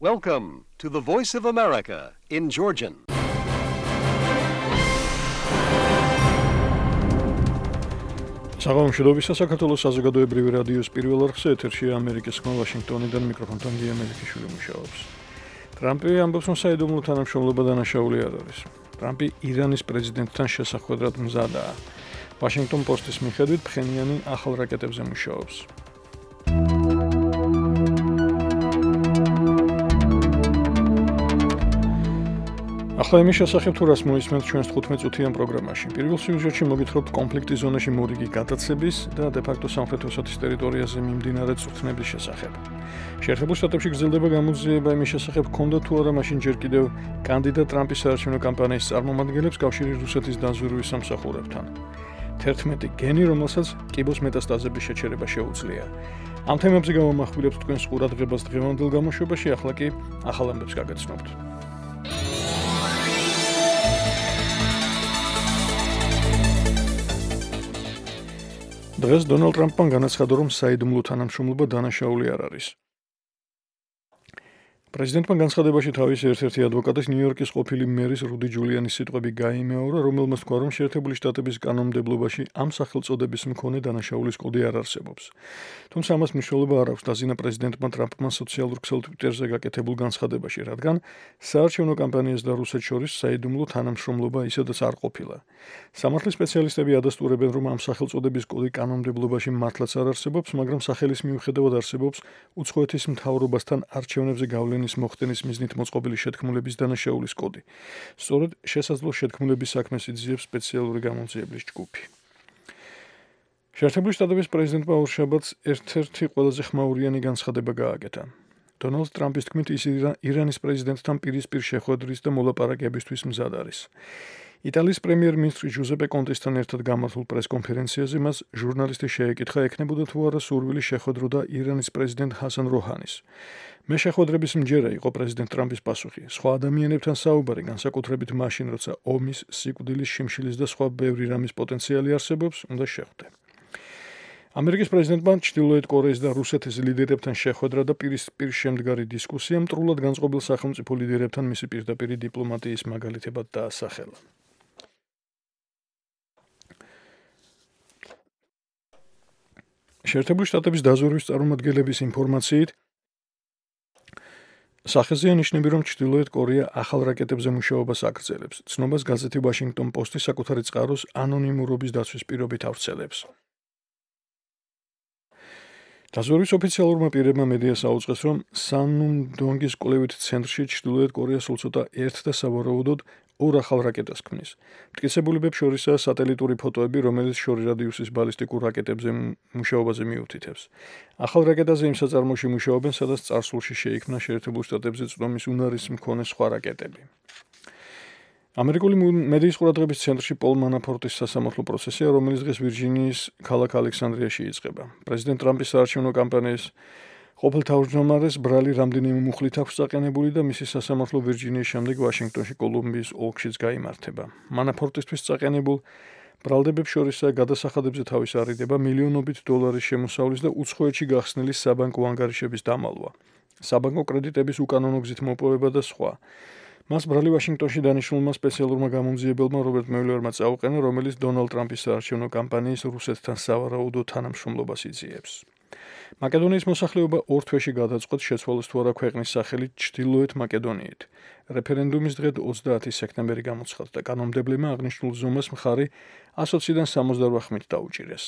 Welcome to the Voice of America in Georgian. Საღამომშვიდობისა საქართველოს საზოგადოებრივი რადიოს პირველ არხზე ეთერშია ამერიკის ხმა ვაშინგტონიდან მიკროფონთან გია მელიქიშვილი მუშაობს. ტრამპი ამბობს, რომ საიდუმლო თანამშრომლობა დანაშაული არ არის. ტრამპი ირანის პრეზიდენტთან შესახვედრად მზადაა. Washington Post-ის მიხედვით ფხენიანი ახალ რაკეტებზე მუშაობს. ახლა იმის შესახებ თუ რას მოისმენთ ჩვენს 15 წუთიან პროგრამაში. პირველ სიუჟეტში მოგითხრობთ კონფლიქტის ზონაში მორიგი გადაცების და დე-ფაქტო სამხრეთ ოსეთის ტერიტორიაზე მიმდინარე წვრთნების შესახებ. შეერთებულ შტატებში გრძელდება გამოძიება იმის შესახებ, ქონდა თუ არა მაშინ ჯერ კიდევ კანდიდატ ტრამპის საარჩევნო კამპანიის წარმომადგენლებს კავშირი რუსეთის დაზვერვის სამსახურებთან. 11 გენი, რომელსაც კიბოს მეტასტაზების შეჩერება შეუძლია. ამ თემებზე გავამახვილებთ თქვენს ყურადღებას დღევანდელ გამოშვებაში, ახლა კი ახალ ამბებს გაგაცნობთ. დღეს დონალდ ტრამპმა განაცხადა, რომ საიდუმლო თანამშრომლობა დანაშაული არ არის. პრეზიდენტმა განცხადებაში თავის ერთ-ერთი ადვოკატის ნიუ-იორკის ყოფილი მერის რუდი ჯულიანის სიტყვები გაიმეორა, რომელმაც თქვა, რომ შეერთებული შტატების კანონმდებლობაში ამ სახელწოდების მქონე დანაშაულის კოდი არ არსებობს. თუმცა ამას მნიშვნელობა არ აქვს, დაზიანა პრეზიდენტმა ტრამპმა სოციალურ ქსელ Twitter-ზე გაკეთებულ განცხადებაში, რადგან საარჩევნო კამპანიას და რუსეთს შორის საიდუმლო თანამშრომლობა ისედაც არ ყოფილა. სამართლის სპეციალისტები ადასტურებენ, რომ ამ სახელწოდების კოდი კანონმდებლობაში მართლაც არ არსებობს, მაგრამ სახელის მიუხედავად არსებობს უცხოეთის მთავრობასთან არჩევნებზე გავლენის მოხდენის მიზნით მოწყობილი შეთქმულების დანაშაულის კოდი. სწორედ შესაძლო შეთქმულების საქმეს იძიებს სპეციალური გამოძიებლის ჯგუფი. შეერთებული შტატების პრეზიდენტმა ორშაბათს ერთ-ერთი ყველაზე ხმაურიანი განცხადება გააკეთა. დონალდ ტრამპის თქმით, ის ირანის პრეზიდენტთან პირისპირ შეხვედრის და მოლაპარაკებისთვის მზად არის. იტალიის პრემიერ-მინისტრი ჟუზეპე კონტესთან ერთად გამართულ პრესკონფერენციაზე მას ჟურნალისტი შეეკითხა, ექნებოდა თუ არა სურვილი შეხვედროდა ირანის პრეზიდენტ ჰასან როჰანის. მე შეხვედრების მჯერა იყო პრეზიდენტ ტრამპის პასუხი. სხვა ადამიანებთან საუბარი, განსაკუთრებით მაშინ, როცა ომის, სიკვდილის, შიმშილის და სხვა ბევრი რამის პოტენციალი არსებობს, უნდა შეხვდე. ამერიკის პრეზიდენტმა ჩრდილოეთ კორეის და რუსეთის ლიდერებთან შეხვედრა და პირისპირ შემდგარი დისკუსია მტრულად განწყობილ სახელმწიფო ლიდერებთან მისი პირდაპირი დიპლომატიის მაგალითებად დაასახელა. შეერთებული შტატების დაზვერვის წარმომადგენლების ინფორმაციით სახეზეა ნიშნები, რომ ჩრდილოეთ კორეა ახალ რაკეტებზე მუშაობას აგრძელებს. ცნობას გაზეთი Washington Post-ი საკუთარი წყაროს ანონიმურობის დაცვის პირობით ავრცელებს. დაზვერვის ოფიციალურმა პირებმა მედიას აუწყეს, რომ სანუმ-დონგის კვლევით ცენტრში ჩრდილოეთ კორეა სულ ცოტა ერთ და სავარაუდოდ ორ ახალ რაკეტას ქმნის. მტკიცებულებებს შორისაა სატელიტური ფოტოები, რომელიც შორი რადიუსის ბალისტიკურ რაკეტებზე მუშაობაზე მიუთითებს. ახალ რაკეტაზე იმ საწარმოში მუშაობენ, სადაც წარსულში შეიქმნა შეერთებულ შტატებზე წვდომის უნარის მქონე სხვა რაკეტები. ამერიკული მედიის ყურადღების ცენტრში პოლ მანაფორტის სასამართლო პროცესია, რომელიც დღეს ვირჯინიის ქალაქ ალექსანდრიაში იწყება. პრეზიდენტ ტრამპის საარჩევნო კამპანიის ყოფილ თავმჯდომარეს ბრალი რამდენიმე მუხლით აქვს წაყენებული და მისი სასამართლო ვირჯინიის შემდეგ ვაშინგტონში კოლუმბიის ოლქშიც გაიმართება. მანაფორტისთვის წაყენებულ ბრალდებებს შორისაა გადასახადებზე თავის არიდება, მილიონობით დოლარის შემოსავლის და უცხოეთში გახსნილი საბანკო ანგარიშების დამალვა, საბანკო კრედიტების უკანონო გზით მოპოვება და სხვა. მას ბრალი ვაშინგტონში დანიშნულმა სპეციალურმა გამომძიებელმა რობერტ მიულერმა წაუყენა, რომელიც დონალდ ტრამპის საარჩევნო კამპანიის რუსეთთან სავარაუდო თანამშრომლობას იძიებს. მაკედონიის მოსახლეობა 2 თვეში გადაწყვეტს, შეცვალოს თუ არა ქვეყნის სახელი ჩრდილოეთ მაკედონიით. რეფერენდუმის დღე 30 სექტემბერი გამოცხადდა. კანონმდებლებმა აღნიშნულ ზომას მხარი 120-დან 68 ხმით დაუჭირეს.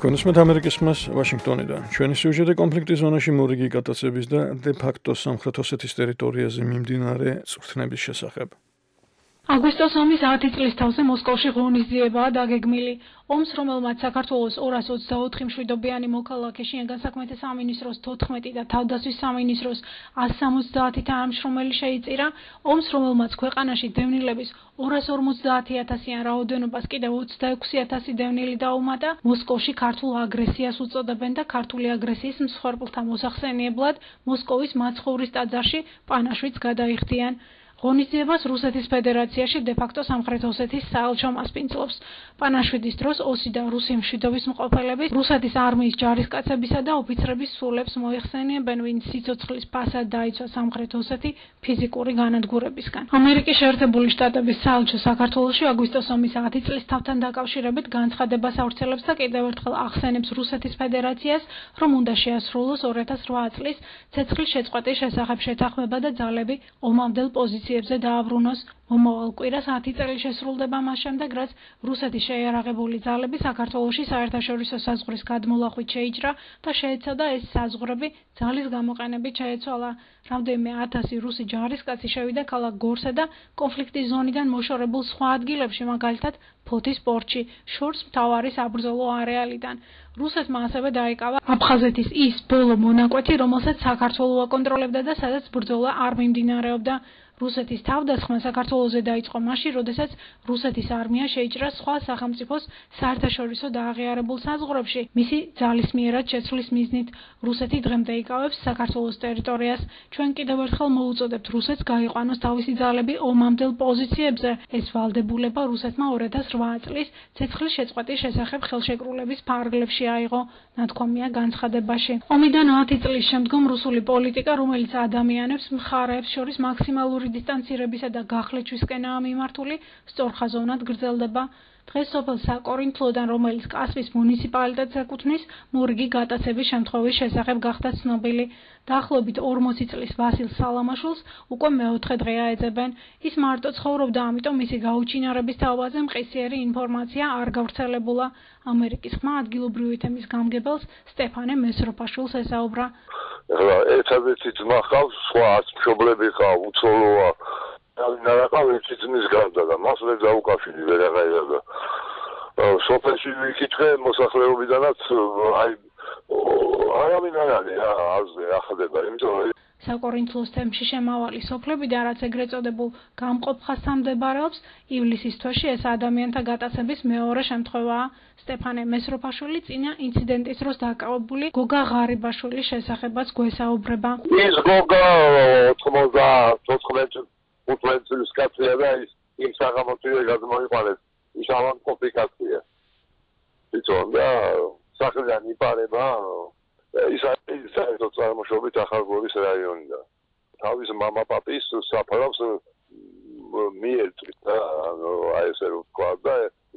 კონსმეთ ამერიკის ხმას ვაშინგტონიდან. ჩვენი სიუჟეტი კონფლიქტის ზონაში მორიგი გადაცების და დე-ფაქტო სამხრეთ ოსეთის ტერიტორიაზე მიმდინარე წვრთნების შესახებ. აგვისტოს 10 წლის თავზე მოსკოვში ღონისძიებაა დაგეგმილი. ომს, რომელმაც საქართველოს 224 მშვიდობიანი მოქალაქე შინაგან საქმეთა სამინისტროს 14 და თავდაცვის სამინისტროს 170 თანამშრომელი შეიწირა, ომს, რომელმაც ქვეყანაში დევნილების 250,000-იან რაოდენობას კიდევ 26,000 დევნილი დაუმატა, მოსკოვში ქართულ აგრესიას უწოდებენ და ქართული აგრესიის მსხვერპლთა მოსახსენიებლად მოსკოვის მაცხოვრის ტაძარში პანაშვიდს გადაიხდიან. ღონისძიებას რუსეთის ფედერაციაში დე-ფაქტო სამხრეთ ოსეთის საელჩო მასპინძლობს. პანაშვიდის დროს ოსი და რუსი მშვიდობის მყოფელები რუსეთის არმიის ჯარისკაცებისა და ოფიცრების სულებს მოიხსენიებენ, ვინც სიცოცხლის ფასად დაიცვა სამხრეთ ოსეთი ფიზიკური განადგურებისგან. ამერიკის შეერთებული შტატების საელჩო საქართველოში აგვისტოს ომის 10 წლის თავთან დაკავშირებით განცხადებას ავრცელებს და კიდევ ერთხელ ახსენებს რუსეთის ფედერაციას, რომ უნდა შეასრულოს 2008 წლის ცეცხლის შეწყვეტის შესახებ შეთანხმება და ძალები ომამდელ პოზიციებზე დააბრუნოს. მომავალ კვირას 10 წელი შესრულდება მას შემდეგ, რაც რუსეთის შეიარაღებული ძალები საქართველოში საერთაშორისო საზღვრის გადმოლახვით შეიჭრა და შეეცადა ეს საზღვრები ძალის გამოყენებით შეეცვალა. რამდენიმე 1000 რუსი ჯარისკაცი შევიდა ქალაქ გორსა და კონფლიქტის ზონიდან მოშორებულ სხვა ადგილებში, მაგალითად ფოთის პორტში, შორს მთავარი საბრძოლო არეალიდან. რუსეთმა ასევე დაიკავა აფხაზეთის ის ბოლო მონაკვეთი, რომელსაც საქართველო აკონტროლებდა და სადაც ბრძოლა არ მიმდინარეობდა. რუსეთის თავდასხმა საქართველოზე დაიწყო მაშინ, როდესაც რუსეთის არმია შეიჭრა სხვა სახელმწიფოს საერთაშორისო დააღიარებულ საზღვრებში, მისი ძალისმიერად შეცვლის მიზნით. რუსეთი დღემდე იკავებს საქართველოს ტერიტორიას. ჩვენ კიდევ ერთხელ მოუწოდებთ რუსეთს გაიყვანოს თავისი ძალები ომამდელ პოზიციებზე. ეს ვალდებულება რუსეთმა 2008 წლის ცეცხლის შეწყვეტის შესახებ ხელშეკრულების ფარგლებში აიღო, ნათქვამია განცხადებაში. ომიდან 10 წლის შემდგომ რუსული პოლიტიკა, რომელიც ადამიანებს მხარეებს შორის მაქსიმალური დისტანცირებისა და გახლეჩვისკენაა მიმართული, სწორხაზოვნად გრძელდება. დღეს სოფელ საკორინთლოდან, რომელიც კასპის მუნიციპალიტეტს ეკუთვნის, მორიგი გატაცების შემთხვევის შესახებ გახდა ცნობილი. დაახლოებით 40 წლის ვასილ სალამაშვილს უკვე მეოთხე დღეა ეძებენ. ის მარტო ცხოვრობდა, ამიტომ მისი გაუჩინარების თავაზე მყისიერი ინფორმაცია არ გავრცელებულა. ამერიკის ხმა ადგილობრივი თემის გამგებელს სტეფანე მესროფაშვილს ესაუბრა. ერთადერთი ძმა ჰყავს, სხვა არც მშობლები ჰყავ, უცოლოა. ნარაყავი ძმის გარდა და მას ვერ დაუკავშირი ვერაღაირა და სოფელში ვიკითხე მოსახლეობიდანაც არავინ არ არის აზრი ახდება, იმიტომ საკორინთლოს თემში შემავალი სოფლებიდან, რაც ეგრეთ წოდებულ გამყოფ ხაზთან მდებარეობს, ივლისის თვეში ეს ადამიანთა გატაცების მეორე შემთხვევაა. სტეფანე მესროფაშვილი წინა ინციდენტის დროს დაკავებული გოგა ღარიბაშვილის შესახებაც გვესაუბრება. ის გოგა 94 წლის კაცია და ის იმ საღამოთვე გადმოიყვანეს. ის ავანკოფიკაცია. იცოდე და სახლიდან იპარება ის არის საერთო წარმოშობით ახალგორის რაიონიდან. თავის მამა-პაპის საფრავს მიერთვით და აი ესე რომ თქვა და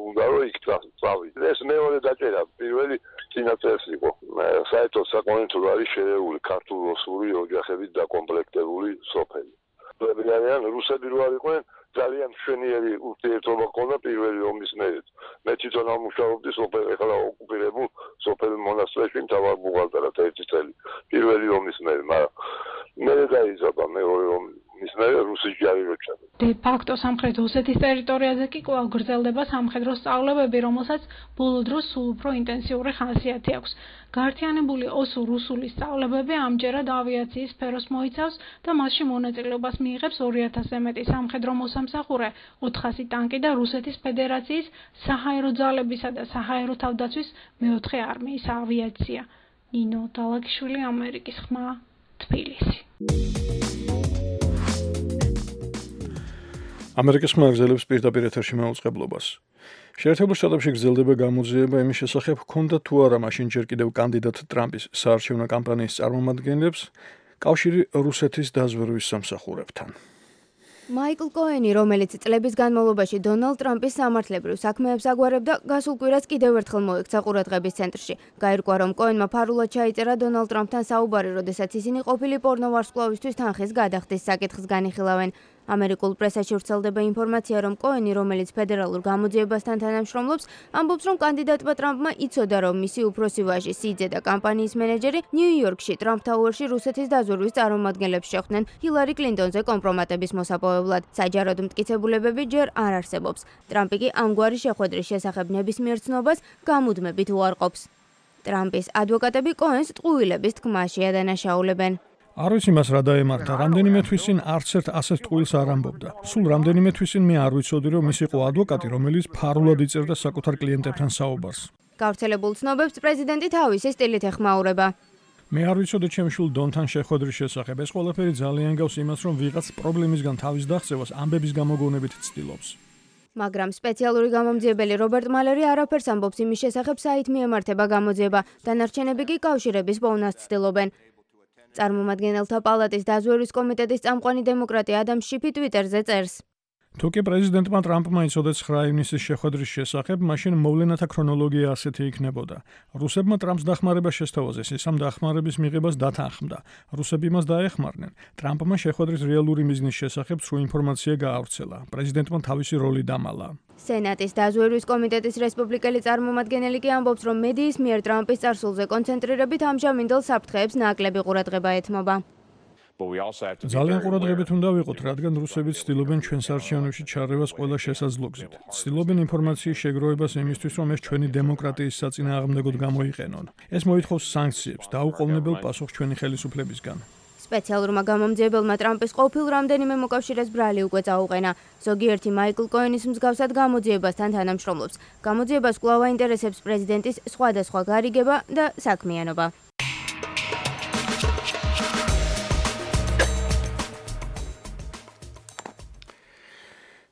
უნდა რომ იქ წავიდე. ეს მეორე დაჭერა, პირველი წინაწელს იყო. საერთოდ საკონტროლო არის შერეული ქართულ-რუსული ოჯახებით დაკომპლექტებული სოფელი. არიან რუსები რო არიყვნენ, ძალიან მშვენიერი ურთიერთობა ჰქონდა პირველი ომის მერე. მე თვითონ ამუშავებდი სოფელ, ეხლა ოკუპირებულ სოფელ მონასტრებში მთავარ ბუღალტერად 1 წელი. პირველი ომის მერე, მაგრამ მე დაიზარდა მეორე ომის მერე რუსი ჯარი რო ჩადა. დე-ფაქტო სამხრეთ ოსეთის ტერიტორიაზე კი კვლავ გრძელდება სამხედრო სწავლებები, რომელსაც ბოლო დროს სულ უფრო ინტენსიური ხასიათი აქვს. გაერთიანებული ოსო-რუსული სწავლებები ამჯერად ავიაციის სფეროს მოიცავს და მასში მონაწილეობას მიიღებს 2000-ზე მეტი სამხედრო მოსამსახურე, 400 ტანკი და რუსეთის ფედერაციის საჰაერო ძალებისა და საჰაერო თავდაცვის მეოთხე არმიის ავიაცია. ნინო დალაგიშვილი, ამერიკის ხმა, თბილისი. ამერიკის ხმა გრძელებს პირდაპირ ეთერში მაუწყებლობას. შეერთებულ შტატებში გრძელდება გამოძიება იმის შესახებ, ჰქონდა თუ არა მაშინ ჯერ კიდევ კანდიდატ ტრამპის საარჩევნო კამპანიის წარმომადგენლებს კავშირი რუსეთის დაზვერვის სამსახურებთან. მაიკლ კოენი, რომელიც წლების განმავლობაში დონალდ ტრამპის სამართლებრივ საქმეებს აგვარებდა, გასულ კვირას კიდევ ერთხელ მოექცა ყურადღების ცენტრში. გაირკვა, რომ კოენმა ფარულად ჩაიწერა დონალდ ტრამპთან საუბარი, როდესაც ისინი ყოფილი პორნო ვარსკვლავისთვის თანხის გადახდის საკითხს განიხილავენ. ამერიკულ პრესაში ვრცელდება ინფორმაცია, რომ კოენი, რომელიც ფედერალურ გამოძიებასთან თანამშრომლობს, ამბობს, რომ კანდიდატმა ტრამპმა იცოდა, რომ მისი უფროსი ვაჟი სიძე და კამპანიის მენეჯერი ნიუ-იორკში ტრამპ თაუერში რუსეთის დაზვერვის წარმომადგენლებს შეხვდნენ ჰილარი კლინტონზე კომპრომატების მოსაპოვებლად. საჯაროდ მტკიცებულებები ჯერ არ არსებობს. ტრამპი კი ამგვარი შეხვედრის შესახებ ნებისმიერ ცნობას გამუდმებით უარყოფს. ტრამპის ადვოკატები კოენს ტყუილების თქმაში ადანაშაულებენ. არ ვიცი მას რა დაემართა, რამდენიმე თვის წინ არც ერთ ასეთ ტყუილს არ ამბობდა. სულ რამდენიმე თვის წინ მე არ ვიცოდი, რომ ის იყო ადვოკატი, რომელიც ფარულად იწერდა საკუთარ კლიენტებთან საუბარს. გავრცელებულ ცნობებს პრეზიდენტი თავისი სტილით ეხმაურება. მე არ ვიცოდი ჩემ შვილ დონთან შეხვედრის შესახებ. ეს ყველაფერი ძალიან გავს იმას, რომ ვიღაც პრობლემისგან თავის დაღწევას ამბების გამოგონებით ცდილობს. მაგრამ სპეციალური გამომძიებელი რობერტ მალერი არაფერს ამბობს იმის შესახებ, საით მიემართება გამოძიება, დანარჩენები კი კავშირების პოვნას ცდილობენ. წარმომადგენელთა პალატის დაზვერვის კომიტეტის წამყვანი დემოკრატი ადამ შიფი ტვიტერზე წერს. თუ კი პრეზიდენტმა ტრამპმა იცოდა 9 ივნისის შეხვედრის შესახებ, მაშინ მოვლენათა ქრონოლოგია ასეთი იქნებოდა. რუსებმა ტრამპს დახმარება შესთავაზეს, ის ამ დახმარების მიღებას დათანხმდა. რუსები მას დაეხმარნენ. ტრამპმა შეხვედრის რეალური მიზნის შესახებ სრულ ინფორმაცია გაავრცელა. პრეზიდენტმა თავისი როლი დამალა. სენატის დაზვერვის კომიტეტის რესპუბლიკელი წარმომადგენელი კი ამბობს, რომ მედიის მიერ ტრამპის წარსულზე კონცენტრირებით ამჟამინდელ საფრთხეებს ნაკლები ყურადღება ეთმობა. ძალიან ყურადღებით უნდა ვიყოთ, რადგან რუსები ცდილობენ ჩვენს არჩევნებში ჩარევას ყველა შესაძლოებით. ცდილობენ ინფორმაციის შეგროვებას იმისთვის, რომ ეს ჩვენი დემოკრატიის საწინააღმდეგოდ გამოიყენონ. ეს მოითხოვს სანქციებს, დაუყოვნებელ პასუხს ჩვენი ხელისუფლებისგან. სპეციალურმა გამომძიებელმა ტრამპის ყოფილ რამდენიმე მოკავშირეს ბრალი უკვე წაუყენა. ზოგიერთი მაიკლ კოენის მსგავსად გამოძიებასთან თანამშრომლობს. გამოძიებას კვლავ აინტერესებს პრეზიდენტის სხვადასხვა გარიგება და საქმიანობა.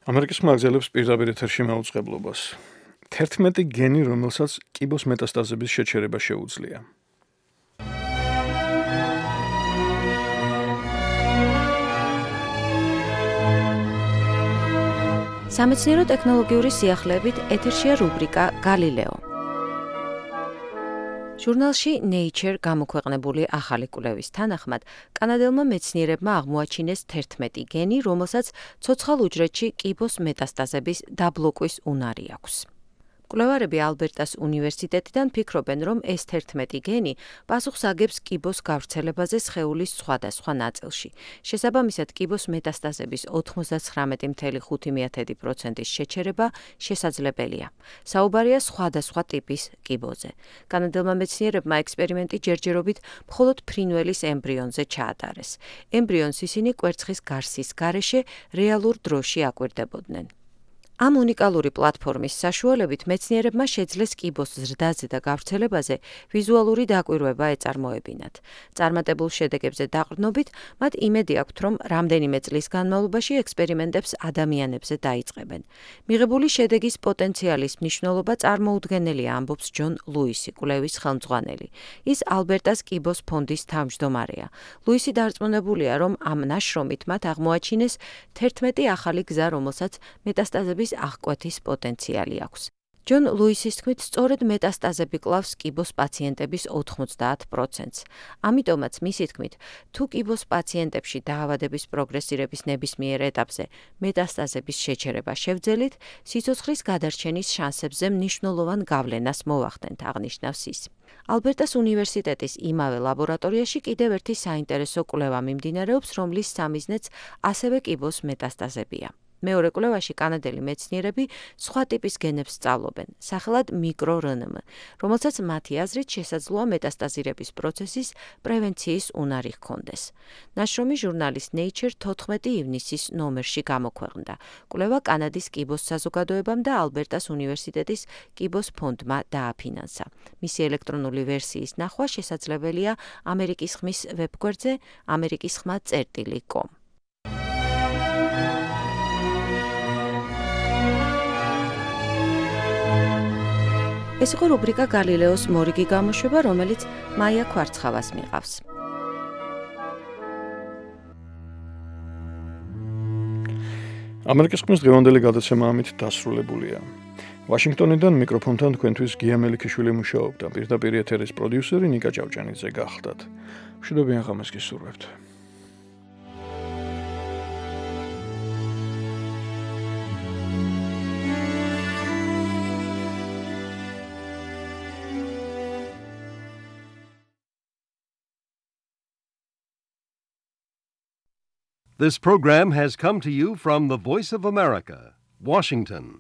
ამერიკის მაგზელებს პირდაპირ ეთერში მაუწყებლობას. 11 გენი, რომელსაც კიბოს მეტასტაზების შეჩერება შეუძლია. სამეცნიერო ტექნოლოგიური სიახლეებით ეთერშია რუბრიკა გალილეო. ჟურნალში Nature გამოქვეყნებული ახალი კვლევის თანახმად, კანადელმა მეცნიერებმა აღმოაჩინეს 11 გენი, რომელსაც ცოცხალ უჯრედში კიბოს მეტასტაზების დაბლოკვის უნარი აქვს. კვლევარები ალბერტას უნივერსიტეტიდან ფიქრობენ, რომ ეს 11 გენი პასუხს აგებს კიბოს გავრცელებაზე სხეულის სხვადასხვა ნაწილში. შესაბამისად, კიბოს მეტასტაზების 99.5%-ის შეჩერება შესაძლებელია. საუბარია სხვადასხვა ტიპის კიბოზე. კანადელმა მეცნიერებმა ექსპერიმენტი ჯერჯერობით მხოლოდ ფრინველის ემბრიონზე ჩაატარეს. ემბრიონს ისინი კვერცხის გარსის გარეშე რეალურ დროში აკვირდებოდნენ. ამ უნიკალური პლატფორმის საშუალებით მეცნიერებმა შეძლეს კიბოს ზრდაზე და გავრცელებაზე ვიზუალური დაკვირვება ეწარმოებინათ. წარმატებულ შედეგებზე დაყრდნობით, მათ იმედი აქვთ, რომ რამდენიმე წლის განმავლობაში ექსპერიმენტებს ადამიანებზე დაიწყებენ. მიღებული შედეგის პოტენციალის მნიშვნელობა წარმოუდგენელია, ამბობს ჯონ ლუისი, კვლევის ხელმძღვანელი. ის ალბერტას კიბოს ფონდის თავმჯდომარეა. ლუისი დარწმუნებულია, რომ ამ ნაშრომით მათ აღმოაჩინეს 11 ახალი გზა, რომელსაც მეტასტაზების აღკვეთის პოტენციალი აქვს. ჯონ ლუისის თქმით, სწორედ მეტასტაზები კლავს კიბოს პაციენტების 90%-ს. ამიტომაც მისი თქმით, თუ კიბოს პაციენტებში დაავადების პროგრესირების ნებისმიერ ეტაპზე მეტასტაზების შეჩერება შევძელით, სიცოცხლის გადარჩენის შანსებზე მნიშვნელოვან გავლენას მოვახდენთ, აღნიშნავს ის. ალბერტას უნივერსიტეტის იმავე ლაბორატორიაში კიდევ ერთი საინტერესო კვლევა მიმდინარეობს, რომლის სამიზნეც ასევე კიბოს მეტასტაზებია. მეორე კვლევაში კანადელი მეცნიერები სხვა ტიპის გენებს სწავლობენ, სახელად მიკრო-რნმ, რომელსაც მათი აზრით შესაძლოა მეტასტაზირების პროცესის პრევენციის უნარი ჰქონდეს. ნაშრომი ჟურნალის Nature 14 ივნისის ნომერში გამოქვეყნდა. კვლევა კანადის კიბოს საზოგადოებამ და ალბერტას უნივერსიტეტის კიბოს ფონდმა დააფინანსა. მისი ელექტრონული ვერსიის ნახვა შესაძლებელია ამერიკის ხმის ვებგვერდზე amerikisxma.com. ეს იყო რუბრიკა გალილეოს მორიგი გამოშვება, რომელიც მაია ქვარცხავას მიყავს. ამერიკის ხმის დღევანდელი გადაცემა ამით დასრულებულია. ვაშინგტონიდან მიკროფონთან თქვენთვის გია მელიქიშვილი მუშაობდა. პირდაპირ ეთერის პროდიუსერი ნიკა ჭავჭანიძე გახლდათ. მშვიდობიან ღამეს გისურვებთ. This program has come to you from the Voice of America, Washington.